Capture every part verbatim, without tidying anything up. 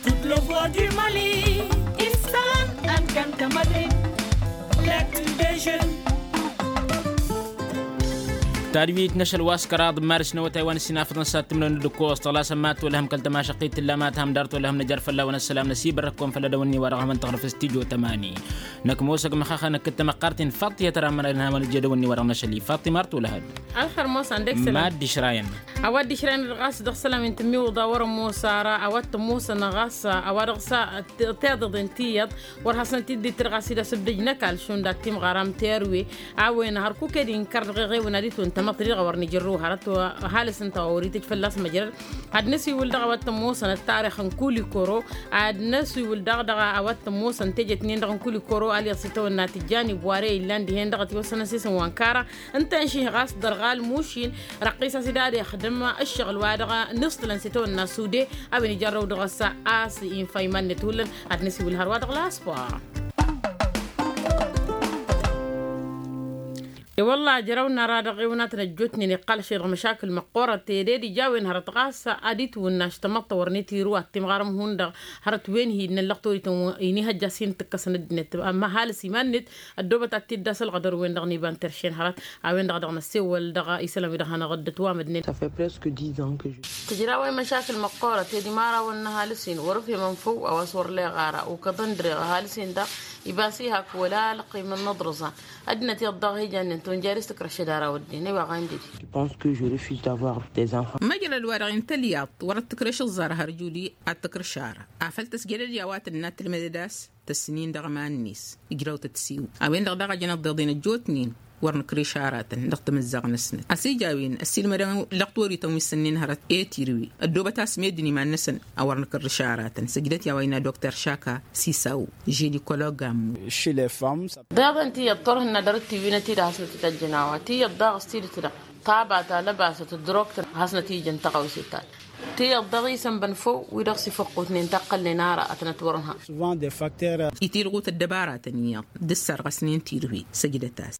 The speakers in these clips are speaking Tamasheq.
Toutes les voix du Mali, issan ălkăntămădre. Tadwit n-ašăl wa s-kăraḍ n-maris n-awătay wa n-sinafăḍăn s-ad-tǝmrăwăn d-ǝkkoẓ tăɣlasăn ma tolăhăm kăl-tamašăqqit tǝlla ma tăhăm dar tolăhăm năjar fălla-wen ăssălam năsibărrăk-kăwăn făll-ad-awănni wa dăɣ-hăm ăntăɣrǝf s-tijo tămani. Năkk ămoosăg măxaxăn ǝkkǝd tamăqqart-in faḍt tiyyăt ărammănăg n-hamăn ǝjjed awănni wa dăɣ-năšăl ifaḍt imar tolăhăn. Ălxer ămoosăn dăɣ-isălan. Mad-išrayăn. A-wa dd-išrayăn ɣas dăɣ-isălam-in tǝmmiwǝḍa wăr-ămoos ara a-wa t-ămoosăn ɣas a-wa dăɣ-s tiḍeḍen tiyyăḍ. Wăr hasnăt-dd-ittǝr ɣas ila s-ǝbdǝj n-ăkall šund ad-timɣaram terwe. A-wen hărkuk ed inkăr dăɣ-eɣewăn ad-itwǝn tamăḍt-dăɣ a wăr nǝjărrǝw hărăt. Halǝs ǝnta wa wăr-itǝj fălla-s măjrăd. Ad-năsiwǝl dăɣ-a-wa t-ămoosăn ăttarix n-kulikoro. Ad-năsiwǝl daɣ dăɣ-a-wa t-ămoosăn tejet-nin-dăɣ n-kulikoro a leɣ s-itawănna tǝjjan ibware illan dihen-dăɣ ătiwăssănăn s-isǝm wa n-kara. Ǝnta ănših ɣas dăr-ɣal mušin. Răqqis a-s dd-ad-ixdǝm ǝššăɣǝl wa dăɣ-nǝṣtǝlăn s-itawănna sude. A-wen ijărrăw dăɣ-s a-s infa iman-net hullan. Ad-năsiwǝl hărwa dăɣ-laspor. I-wălla ijrăw n-ara-dăɣ iwǝnatăn ăjjootnen iqqal ašăl dăɣ-măšakǝl măqqoorăt teded ija a-wen hărăt ɣas ad-itwǝnnaš tamăḍt ta wărnet irǝw ad-timɣarăm hundăɣ. Hărăt wen hi-innăn lăqtorităn inihăjja s-hin-tǝkkăsăn ăddinăt. Ămma halǝs iman-net ăddoobăt ad-t-dd-asălɣădăr-wen-dăɣ n-iba n-teršen hărăt. A-wen-dăɣ dăɣ-năssewăl dăɣ-isălan-wi-dăɣ hanăɣ-dd-ătwamădnen. Tǝjraw i-măšakǝl măqqoorăt ed imărawăn n-ăhalǝs-in wăr-ǝfhimăn făw a-wa s-wăr leɣ ara ukăḍăn dăr-eɣ ăhalǝs-in-dăɣ. Iba s-ihak wăla ălqim n-inǝḍrǝẓan. Ăddinăt iyyăḍ daɣ hijannen tunjari s-tǝkrăšăd ara wădden ăywa ɣa n-dede. Măjrăd-wa-dăɣ intăl iyyăḍ wăr-ăttǝkrăš ǝẓẓar har juli ad-tǝkrǝš ara. Afăl tăsjădăd i-a-wa tǝnna tǝlmădăd a-s tăsnin dăɣ-iman-net. Ijraw tăt-siw a-wen-dăɣ daɣ a jăn ăḍḍeḍen ăjjootnen. Wăr nǝkrǝš aratăn dăɣ-timǝzzaɣ-năsnăt ăsijawin ăssiilmădăn lăqtorităn wi s-ǝnnin hărăt i-tirǝwi. Ăddoobăt a-s meddǝn iman-năsăn a wăr nǝkrǝš aratăn săjdăt i-a-wa innă dokter šaka sisaw. Žinikolog ammu. Deḍen tiyyăḍ turhǝnna dăr-t tiwinăt-i-dăɣ hasnăt-t-ăjjăn a-wa tiyyăḍ daɣ s-tidǝt-dăɣ. Taba ta lăbasăt ǝddǝrok-tăn hasnăt-ijăn tăɣawse-ta-dăɣ. Tiyyăḍ daɣ isănbăn făw wi-dăɣ s-ifăqqutnen taqqălnen ara ad-tănăt-wăr-ǝnha. Itilɣut ăddăbaratăn iyyăḍ d-ǝssărɣăsnen tirǝhwi săjdăt-as.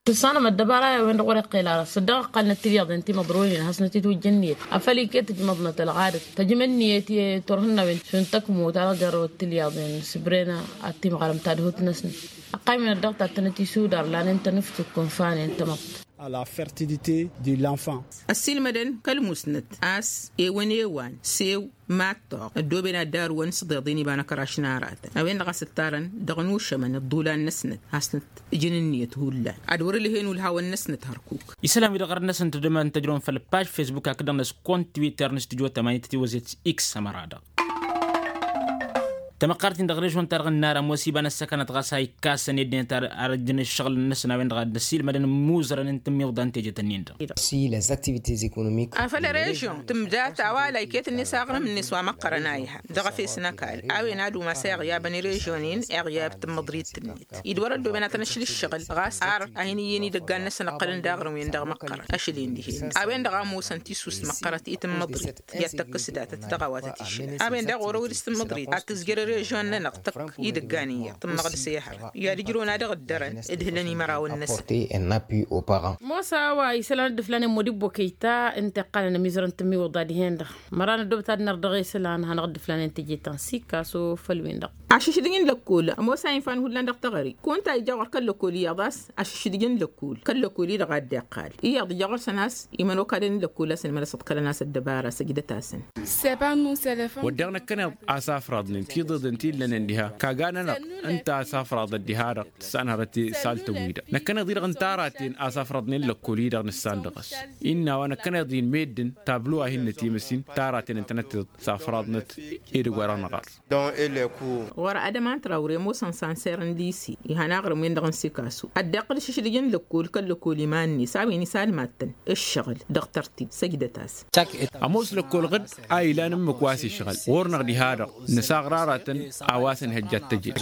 Tǝssanăm ăddăbara i-a-wen-dăɣ wăr-iqqel ara s-dd-dăɣ ǝqqălnăt tilyaḍen timăḍronen hasnăt-itwǝjja ǝnniyăt afăl iket tǝjmăḍnăt ălɣadăt. Tăjmăd ǝnniyăt i-turhǝnna a-wen šund tăkmut a dăɣ-jarrăwăt tilyaḍen sǝbren ad-timɣarăm tadhut-năsnăt. Ăqqaymen ăddăɣ ta tănăt-isudar lanen tănǝftuk ǝnfanen tamăḍt. A la fertilité de l'enfant. Ăssiilmădăn kăl-musnăt a-s ewăn ewan s-ew. Mad-toɣ ăddooben ad-dd-arǝwăn s-iḍeḍen iba n-ăkraš n-aratăn a-wen-dăɣ a-s ǝttarăn dăɣ-inušămăn ǝḍḍulan-năsnăt hasnăt-ǝjǝn ǝnniyăt hullan. Ad-wăr-ǝlhen ulhawăn-năsnăt hărkuk. Isălan-wi-dăɣ ɣărăt-năsăn tǝddǝmăn tăjrăwăn făll-paž fesbuk hakd-dăɣ-năs kont twitter n-studyo tămani tătiwăzet x ămăra-dăɣ. Tamăqqart-in dăɣ-režon-ta-dăɣ ǝnnar ămoos iba n-ăssăkanăt ɣas a ikkasăn i-ăddinăt ar ăjjăn ǝššăɣǝl-năsăn a-wen-dăɣ ad-dd-ăssiilmădăn imuzărăn n-tǝmmiwḍa n-teje tănnin-dăɣ. Afăl režon tǝmdat a-wa la iket-net aɣrǝm-net wa măqqărăn a iha dăɣ-efes n-ăkall a-wen ad-umas iɣyabăn režon-in iɣyab tǝmmăḍrit-net. Id-wăr-ăddooben ad-tăn-ăšla ǝššăɣǝl ɣas ar a hin-iyyăn idăggan-năsăn ǝqqălăn d-aɣrǝm-wen-dăɣ măqqărăn ašăl-in dihen. A-wen-dăɣ a ămoosăn tisust măqqărăt i-tǝmmăḍrit i-ad-tăkkăs datăt dăɣ-a-wa tăt-išǝlăn a-wen-dăɣ ɣur-ewăr s-tǝmmăḍrit ad-tǝzjăr režon-nănăɣ tăkk idăggan iyyăḍ tǝmmăɣ dăɣ-s i-ehăr i-ad-ǝjrǝwăn a dăɣ-ǝddărăn. D-hǝlăn imărawăn-năsăn. Mosa a-wa isălan ăddǝflanen modibbo kăyta ǝnta iqqălăn ămizărăn tǝmmiwǝḍa dihen-dăɣ. Măran ăddoobăt ad-năr dăɣ-e isălan hanăɣ-ǝddǝflanen teje ta n-sikaso făll-win-dăɣ. Ašǝšdǝj n-lăkkol ămoos a infa n-hullan dăɣ-teɣăre. Kăwăn-ta ija ɣur-kăl-lăkkol iyyăḍ a-s ašǝšdǝj n-lăkkol kăl-lăkkol-i-dăɣ a dd-iqqal iyyăḍ ija ɣur-săn a-s imănokalăn n-lăkkol a-s ănmănăs ǝḍkălăn a-s ăddăbara săjdăt-asăn. Wădden năkkăneḍ a-s afraḍnen tiḍeḍen ti ǝllănen diha kaga-nănăɣ ǝnta a-s afraḍăt diha-dăɣ tǝssan hărăt i-saltăn-wi-dăɣ năkkăneḍ-i-dăɣ ǝnta araten a-s afraḍnen lăkkol-i-dăɣ nǝssan dăɣ-s. Innă a-wa năkkăneḍ-in meddǝn tablo a hin-nătimăsin taraten ǝntănăt-tiḍ s-afraḍnăt edăgg wa dăɣ-năɣar. Ɣur-adăman trawre ămoosăn sanser n-lisi ihăn aɣrǝm-win-dăɣ n-sikasu ad-dd-iqqǝl ašǝšdǝj n-lăkkol kăl-lăkkol iman-net a-wen isalmattăn ǝššăɣǝl dăɣ-tărtib săjdăt-as. Ămoos lăkkol ɣǝd a ilan ǝmmǝk wa s-išɣǝl ɣur-năɣ diha-dăɣ nǝsaɣrarăt tăn a-wa s-ănhăjja ad-tăjed.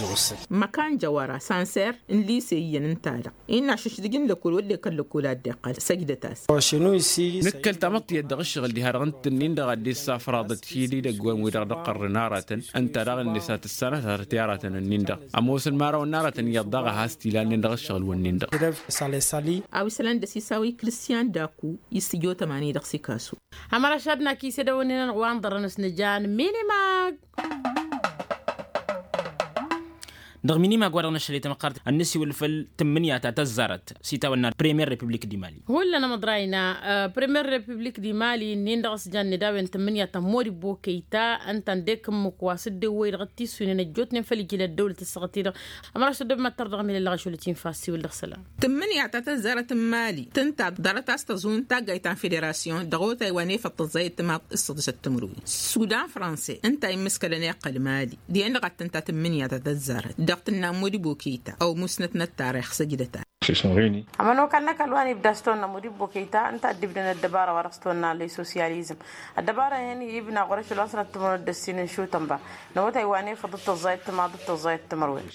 Măkan jăwăra sanser n-lise iyyăn ǝnta-dăɣ innă ašǝšdǝj n-lăkkol wădden kăl-lăkkol a dd-iqqal săjdăt-as. Nǝkkăl-tamăḍt tiyyăt dăɣ-ǝššăɣǝl diha-dăɣ n-tǝnnin-dăɣ a dd-issafraḍăt hi-dd idăgg wa n-wi-dăɣ dd-iqqărrǝn aratăn ǝnta daɣ-net a tǝssanăt hărăt i-aratăn-ǝnnin-dăɣ ămoosăn imărawăn n-aratăn iyyăḍ daɣ a has-t-ilan-nin dăɣ-ǝššăɣǝl-wǝnnin-dăɣ. A-wa isălan d-ăsisaw i-kristyan daku i-s tǝjotăm-ani dăɣ-sikasu. Ămăra šadna kisedăwănnen-anăɣ wa n-ḍărrăn s-nǝjan minimag. Dăɣ-minimag wa dăɣ-năššăl i-tamăqqart ad-nǝsiwǝl făll-tǝmmǝnǝya ta tăzzarăt s-itawănna premier republik di mali. Hullan amăḍrayna premier republik di mali ǝnnin-dăɣ s-jan nǝdawăn tǝmmǝnǝya ta n-modibbo kăyta ǝnta ǝndek ǝmmǝk wa s-dd-ewwăy dăɣ-t-issuynen ăjjootnen făll-ijil ăddăwlăt ǝssăɣăt-i-dăɣ. Ămăra šăddăb mad-tărdăɣ ămilăl dăɣ-ašăl ătinfa ăssiwǝl dăɣ-isălan. Tǝmmǝnǝya ta tăzzarăt n-mali tǝnta ḍarăt a-s tăẓun taggayt ta n-federasyon dăɣ-otay wa n-efăḍ tăẓẓayăt timaḍ s-săḍisăt timǝrwen. Sudan franse ǝnta a immǝskălăn iqqăl mali dihen-dăɣ ad-tǝnta tǝmmǝnǝya ta tăzzarăt dăɣ-tǝnna n-modibbo kăyta ăw musnăt n-ăttarix săjdăt-as. Ămănokal n-ăkall wa n-ibda s-tonna modibbo kăyta ǝnta a dd-ibdăn ăddăbara wa dăɣ-s-tonna lăy sosyalizm. Ăddăbara-en ibna ɣur-ašăl wa n-sănăt timǝrwen d-ăssin n-išutăn ba n-awătay wa n-efăḍ d-tăẓẓayăt timaḍ d-tăẓẓayăt timǝrwen.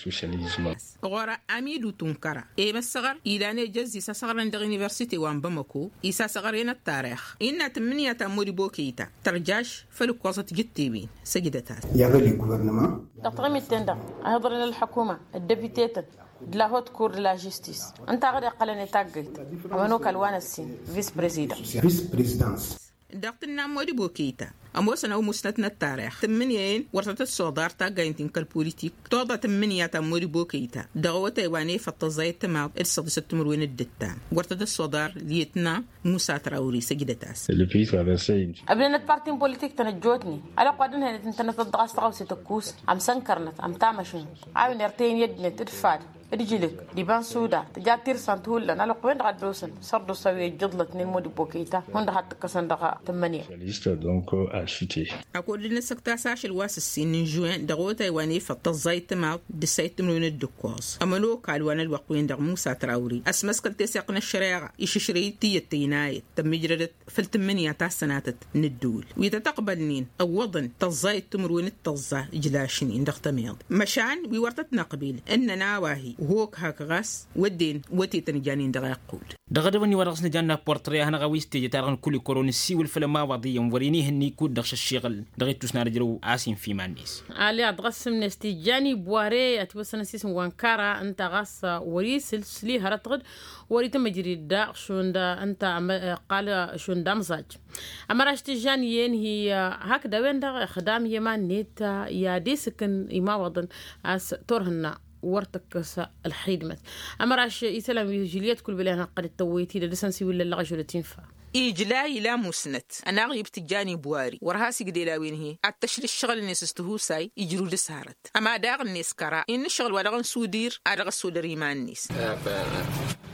Ɣur-amidu tunkăra i-măssăɣăr ilan ejăzz isasăɣărăn dăɣ-universite wa n-bamăko isasăɣăr-en ăttarix innă tǝmmǝnǝya ta n-modibbo kăyta tărjaš făll-ǝkkoẓăt jǝttewen. Săjdăt-as. Dăɣ-taɣimit-ten-dăɣ a hi-iḍărăn ălḥăkuma d-depite-tăn d-la hot kur d-la žistis ǝnta a ɣad iqqălăn i-taggayt. Ămănokal wa n-ăssin vis-prezidant. Dăɣ-tǝnna n-modibbo kăyta ămoosăn ăw musnăt n-ăttarix tǝmmǝnǝya-en wăr tăt-ăssoḍar taggayt-in kăl-politik toḍa tǝmmǝnǝya ta n-modibbo kăyta dăɣ-awătay wa n-efăḍ tăẓẓayăt timaḍ d-săḍisăt timǝrwen d-ǝttan wăr tăt-ăssoḍar lyătna musa trawri săjdăt-as. Ăbnănăt parti n-politik-tăn ăjjootnen alăqq wa dd-ǝnhăynăt ǝntănăt-dd dăɣ-a-s tăɣawse tăkkus amsănkărnăt amtamăšăn a-wen irtăyăn i-ăddinăt d-fad d-ijǝlǝk d-iba n-suda tǝja tirsant hullan alăqq-wen-dăɣ a dd-osăn sărdusa wi ăjjǝḍlătnen modibbo kăyta hundăɣ had-tǝkkăsăn dăɣ-tǝmmǝnǝya. Ăkall dd-năsăktas ašăl wa s-ǝssin n-žuwen dăɣ-otay wa n-efăḍ tăẓẓayt timaḍ d-ǝssayt timǝrwen d-ǝkkoẓ ămănokal wa n-ălwăqq-wen-dăɣ musa trawri ăsmăskăl teseɣt n-ăššăreɣa išǝšrăy-dd tiyyăt tăynayăt tămmijrădăt făll-tǝmmǝnǝya ta s-sănatăt n-ǝddǝwǝl wi tăt-ăqbălnen ǝwwăḍăn tăẓẓayăt timǝrwen d-tăẓẓa ǝjlašnen dăɣ-tămeḍ măšan wi wăr tăt-năqbil ǝnnăn a-wa hi-hok hak ɣas wădden wătetăn janen dăɣ-iqqud. Dăɣ-edăwănni wa dăɣ-s nǝjanna portre a hanăɣ-a-wa s-teje-ta-dăɣ n-kulikoro nǝssiwǝl făll-ămawaḍ iyyăn wăr-inihǝnni kud-dăɣ šăššiɣǝl dăɣ-ittus n-ad-ǝjrăw a-s infa iman-net. Ali ad-dăɣ-ăssǝmnes tijjan ibware ătiwăssăn ăsisǝm wa n-kara ǝnta ɣas wăr-isǝl s-li hărăt ɣǝd wăr-itmǝjrid daɣ šund ǝnta ăqqal šund amẓaj. Ămăraš tijjan iyyăn hi hakd a-wen-dăɣ ixdam i-iman-net i-ad-isǝkǝn imawaḍăn a-s turhǝnna wăr tǝkkăs ălxidmăt. Ămăraš isălan wi žiliyăt kul bălăn hăqqăd d-tăwwăyăt-i d-ad-dăr-săn s-iwǝllăl lăɣăžul d-tinfa. Ijla ila musnăt ănaɣ-ib tǝjjan ibwari wăr has-igdel a-wen-hi ad-t-ăšla ǝššăɣǝl-net s-tihusay ijrǝw dăr-s hărăt ăma daɣ-net kăra innă ǝššăɣǝl wa dăɣ-n sudir a dăɣ-ăssodăr iman-net.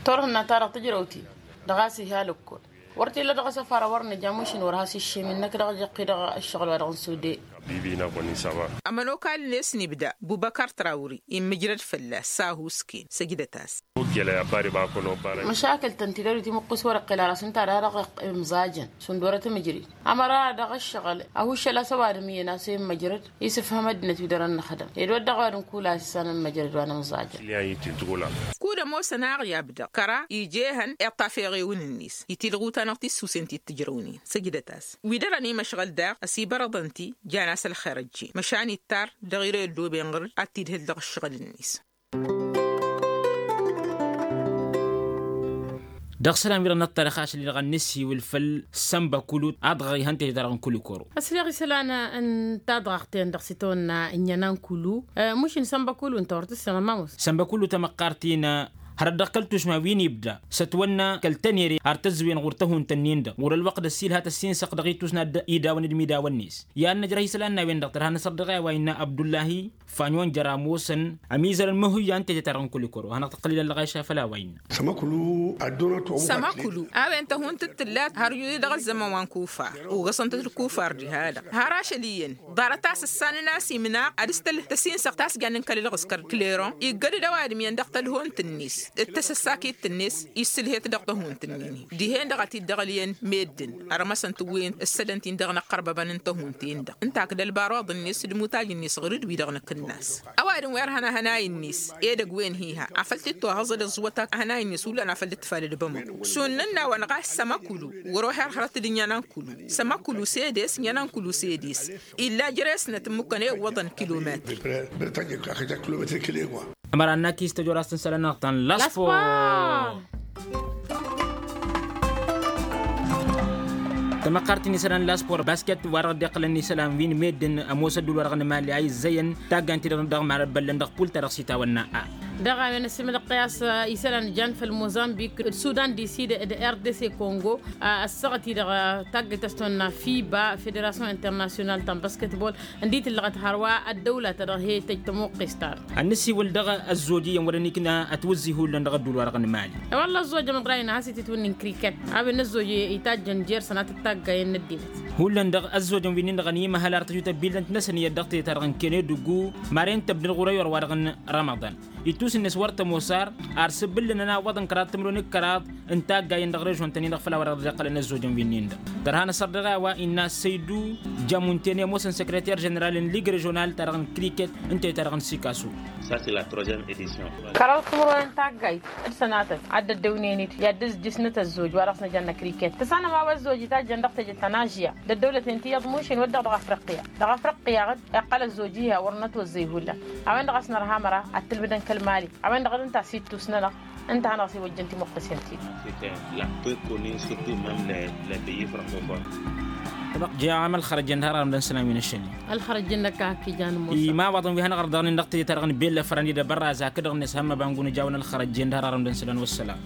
Turhǝnna-ta-dăɣ tǝjrăw-t-dd dăɣ-a-s iha lăkkol wăr t-illa dăɣ-asăfar a wăr nǝja mušin wăr has-iššem innăk dăɣ-ejăqqi dăɣ-ǝššăɣǝl wa dăɣ-n sude. Ămănokal-net n-ibda bubăkar trawri immǝjrăd fălla-s s-ahusken săjdăt-as. Măšakǝl-tăn tidăr wi timǝqqus wăr-iqqel ara s-ǝnta da dăɣ-imẓajăn šund wăr-ătmǝjrid ămăra dăɣ-ǝššăɣǝl ăhuššăl a-s ăwadǝm iyyăn a-s immǝjrăd isǝfhăm ăddinăt wi dăr-ănnăxdăm ed wădden a-wa dd-nǝkul a-s issan ǝmmǝjrăd wa n-imẓajăn. Kud-ămoosăn aɣyab-dăɣ kăra ija ehăn iṭṭaf eɣewǝn-net i-tilɣu-ta-năɣ tissusen ti t-ǝjrăwnen săjdăt-as. Wi dăr-ănimăšɣăl daɣ ăsibărăḍăn-t-i jan-as ălxer ăjjeen măšan ittar dăɣ-ire ăddooben ɣǝr-dd ad-t-idhǝl dăɣ-ǝššăɣǝl-net. Dăɣ-isălan wi-dăɣ n-ăṭṭarăx ašăl-i-dăɣ ad-nǝsiwǝl făll-sănbăkulu a dăɣ-ihăn teje-ta-dăɣ n-kulikoro. Ăsriɣ isălan n-tadɣaɣt-ten-dăɣ s-itawănna ǝnɲănan kulu. Mušin sănbăkulu ǝnta wăr tǝssinăr ma mos. Sănbăkulu tamăqqart-i n-hărăt dăɣ-kăl-tušma wi n-ibda s-ătwănna kăl-tănere har tăzzǝwen ɣur-tăhunt-ǝnnin-dăɣ ɣur-ălwăqq d-ăssiilhat ăssinsăɣ dăɣ-itusna d-idawăn d-imidawăn-net. I-ad-năjrăh isălan n-a-wen-dăɣ tărha n-asărdăɣ i-a-wa innă abdullahi fanyon jer-amosăn ămizărăn măhuyya n-teje-ta-dăɣ n-kulikoro hanăɣ-tăqqăl-ila ăllăɣayša făll-a-wa innă. Sămăkulu a-wen tăhunt d-tǝllat har wi-dăɣ ăzzăman wa n-kufar ugăsăn-tăt d-kufar diha-dăɣ har ašăl iyyăn ḍarăt a-s ǝssanăn a-s imnaɣ ad-ǝstăl tăsinsăɣt a-s jannen kăl-ǝlɣǝskăr kleron iggăd-dd ăwadǝm iyyăn dăɣ-tălhont-net. d-tasăssakit-net issǝlhet dăɣ-tăhunt-nin-hi dihen-dăɣ a t-dd-ăɣlǝyăn meddǝn. Ărmăsăn tǝwwen ǝssădăn-t-in dăɣ-inăqqărbăbăn n-tăhunt-en-dăɣ ǝnta ak d-ălbar oḍăn-net d-imutaj-net ɣur-dd wi-dăɣ nǝkǝnnas. Ăwadǝm wi ărhăn ahănay-net edăgg wen hi-ha afăl t-dd-tohăẓăd ăẓwăt ahănay-net hullan afăl dd-tǝfalăd bămăko šund n-ănnawăn ɣas sămăkulu. Wăr-oha irhărăt d-inyănan kulu sămăkulu s-edes inyănan kulu s-edes. Illa jere-snăt ǝmmǝkkăn i-iwwăḍăn kilometr. Ămăra n-akis tăjorast n-isălan-năɣ ta n-laspor. Tamăqqart-in isălan n-laspor basket wa-dăɣ dd-iqqălăn isălan wi n-meddǝn ămoos ădduul wa-dăɣ n-imali a izzăyăn taggant-i-dăɣ dăɣ-imarăt băllăn dăɣ-pul-ta-dăɣ s-itawănna a. Dăɣ-a-wen ăsimălăqqăy a-s isălan jan făll-mozambik d-sudan di-sid d-rdc kongo. Ăssaɣăt-i-dăɣ taggayt a-s tăwănna fiba federasyon internasyonal ta n-basketbol ǝndi tǝllăɣăt hărwa ăddăwla-ta-dăɣ he-tăj tămoqqes-ta-dăɣ. Ad-nǝsiwǝl dăɣ-ăzzoj iyyăn wăren ikna ătwǝzzǝy hullan dăɣ-ădduul-wa-dăɣ n-imali. Wălla ăzzojăn ăḍrayăn a has-ititwǝnnin kriket a-wen n-ăzzoj itajjăn jer-sănatăt taggayen n-ăddinăt. Hullan dăɣ-ăzzojăn wi-nin-dăɣ ănimăhăl ar tăjut ăbillăn-t-năsăn iyyăt dăɣ-teyăt-ta-dăɣ n-kene duggu maren tăbdăd ɣur-ăyor-wa-dăɣ n-rămăḍan. Ittus-net wăr tămoos ar ar s-ǝbbǝllǝnăn awwăḍ n-kăraḍ timǝrwen d-kăraḍ n-taggayen dăɣ-režon-tăn-in-dăɣ făll-a-wa-dăɣ dd-iqqălăn ăzzojăn wi-nin-dăɣ. Tărha n-asărdăɣ a-wa innă săydu jamuntene ămoosăn sekreter ženeral n-lig režional-ta-dăɣ n-kriket ǝnta i-ta-dăɣ n-sikasu. Kăraḍ timǝrwen n-taggayt d-sănatăt ad-dd-ăddăwnen-dd i-ad-dd-ăzjǝsnăt ăzzoj wa dăɣ-s năjănna kriket tǝssanăm a-wa ăzzoj itajjăn dăɣ-teje ta n-ažya d-ăddăwlăten ti iyyăḍ mušin wădden dăɣ-afriqqiya. Dăɣ-afriqqiya iqqăl ăzzoj iha wăr nătwăzzăy hullan. A-wen-dăɣ a-s nărha măra ad-tǝlmǝdăn kăl-mali a-wen-dăɣ d-ǝnta a-s ittus-nănăɣ. Ǝnta a hanăɣ-s iwăjjăn timuqqǝsen-ti-dăɣ. La peu connu surtout même les les pays francophones. Tăbăq jam ălxărăjjen d-har arăm dăn-sălam wi n-ašăl. Ălxărăjjen năkk a hak ijan musa. Imawaḍăn wi hanăɣ-ărdăɣnen dăɣ-tejăt-ta-dăɣ n-bella fărănni d-abărraz hakd-dăɣ-net hămmăba n-gunǝjaw n-ălxărăjjen d-har arăm dăn-sălam wăssălam.